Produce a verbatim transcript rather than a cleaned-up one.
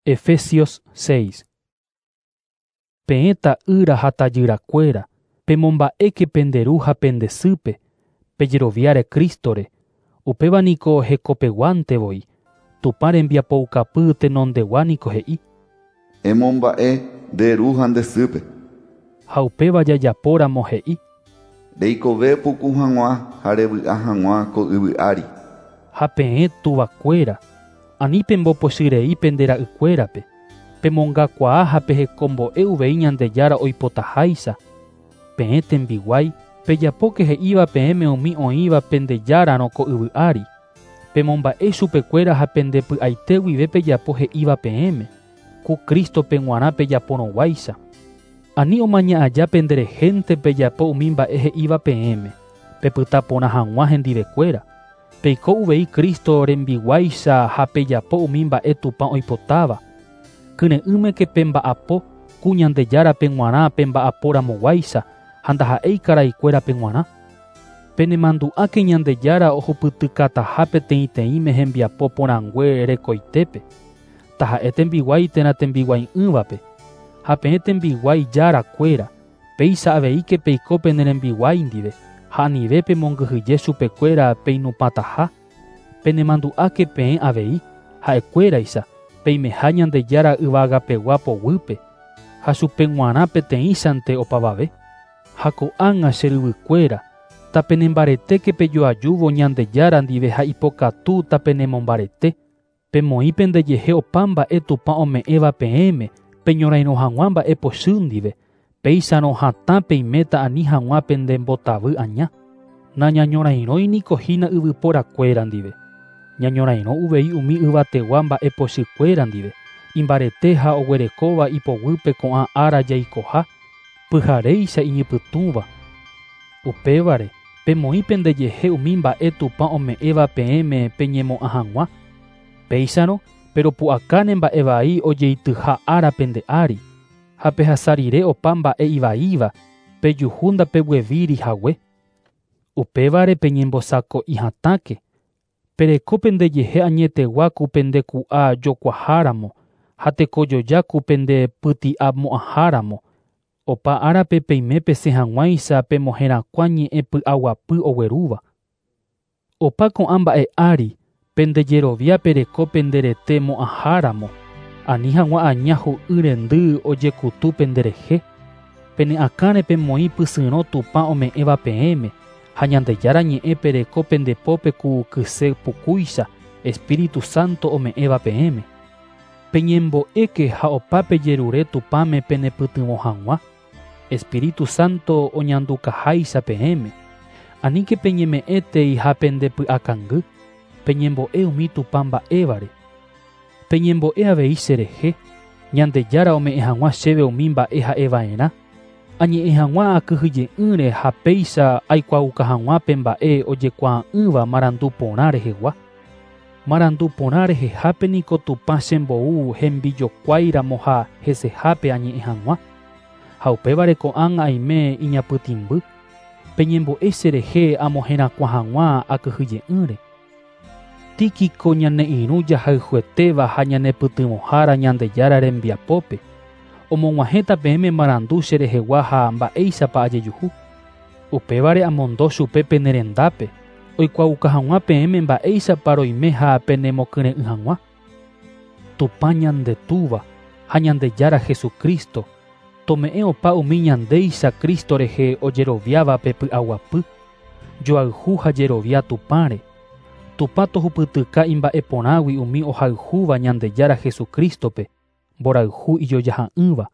Efesios seis. Peẽ ta'ýra ha tajyrakuéra, pemomba'éke pende ru ha pende sýpe, pejeroviáre Crístore, upéva niko hekopeguántevoi, Tupã rembiapoukapy tenondegua niko he'i. Emomba'e nde ru ha nde sýpe. Ha upéva jajapóramo he'i. Reikove puku hag̃ua ha revy'a hag̃ua ko yvy ári. Ha peẽ tuvakuéra, ani pembopochyrei pende ra'ykuérape, pemongakuaa ha pehekombo'e uvei Ñandejára oipotaháicha. Peẽ tembiguái, pejapóke he'íva peẽme umi oĩva pendejárarõ ko yvy ári. Pemomba'e chupekuéra ha pendepy'aite guive pejapo he'íva peẽme, ku Crístope g̃uarã pejaporõguáicha. Ani omaña aja penderehénte pejapo umi mba'e he'íva peẽme, pepyta porã hag̃ua hendivekuéra. Peiko uvei Cristo rembiguáicha ha pejapo umi mba'e Tupã oipotáva. Kyre'ỹmeke pemba'apo ku Ñandejárape g̃uarã pemba'aporamoguáicha ha ndaha'éi karaikuérape g̃uarã. Penemandu'áke Ñandejára ohupytykataha peteĩteĩme hembiapo porãngue rekoitépe, taha'e tembiguái térã tembiguai'ỹvape, ha peẽ tembiguái járakuéra, péicha aveíke peiko pene rembiguái ndive, ha anive pemongyhyje chupekuéra peinupãtaha. Penemandu'áke peẽ avei, ha'ekuéraicha, peimeha Ñandejára yvagapegua poguýpe, ha chupe g̃uarã peteĩchante opavave. Ha ko'ág̃a che ryvykuéra, tapenembaretéke pejoajúvo Ñandejára ndive ha ipokatu tapenemombarete. Pemoĩ pendejehe opa mba'e Tupã ome'ẽva peẽme, peñorairõ hag̃ua mba'e pochy ndive, péicharõ hatã peiméta ani hag̃ua pendembotavy aña. Nañañorairõi niko hína yvyporakuéra ndive. Ñañorairõ uvei umi yvategua mba'e pochykuéra ndive, imbarete ha oguerekóva ipoguýpe ko'ã ára jaikoha, pyharéicha iñypytũva. Upévare, pemoĩ pendejehe umi mba'e Tupã ome'ẽva peẽme peñemo'ã hag̃ua. Péicharõ, peropu'akáne mba'e vai ojeityha ára pende ári, ha pehasa rire opa mba'e ivaíva, pejuhu ndapeguevíri hague. Upévare peñembosako'i hatãke, pereko pendejehe añetegua ku pendeku'a jokuaháramo, ha tekojoja ku pendepyti'amo'ãháramo. Opa árape peime pesẽ hag̃uáicha pemoherakuã ñe'ẽ py'aguapy oguerúva. Opa ko'ã mba'e ári, pendejerovia pereko penderete mo'ãháramo, ani hag̃ua aña hu'y rendy ojekutu penderehe. Pene akãre pemoĩ pysyrõ Tupã ome'ẽva peẽme, ha Ñandejára ñe'ẽ pereko pendepópe ku kyse pukúicha, Espíritu Santo ome'ẽva peẽme. Peñembo'éke ha opa pejerure Tupãme penepytyvõ hag̃ua, Espíritu Santo oñandukaháicha peẽme. Aníke peñeme'ẽtei ha pendepy'akangy, peñembo'e umi Tupã mba'évare. Peñembo'e avei cherehe, Ñandejára ome'ẽ hag̃ua chéve umi mba'e ha'eva'erã, añe'ẽ hag̃ua akyhyje'ỹre ha péicha aikuaauka hag̃ua pe mba'e ojekuaa'ỹva marandu porã rehegua. Marandu porã rehehápe niko Tupã chembou hembijokuáiramo ha hesehápe añe'ẽ hag̃ua. Ha upévare ko'ág̃a aime iñapytĩmby, peñembo'e cherehe amoherakuã hag̃ua akyhyje'ỹre. Tíquico ñane irũ jahayhuetéva ha ñanepytyvõhára Ñandejára rembiapópe, omog̃uahẽta peẽme marandu cherehegua ha mba'éichapa ajejuhu. Upévare amondo chupe pene rendápe, oikuaauka hag̃ua peẽme mba'éichapa roime ha penemokyre'ỹ hag̃ua. Tupã Ñandetúva ha Ñandejára Jesucristo, tome'ẽ opa umi ñandéicha Cristo rehe ojeroviáva pe py'aguapy, joayhu ha jerovia Tupãre. Tupã tohupytyka imba'eporãgui umi ohayhúva Ñandejára Jesucrístope, mborayhu ijojaha'ỹva.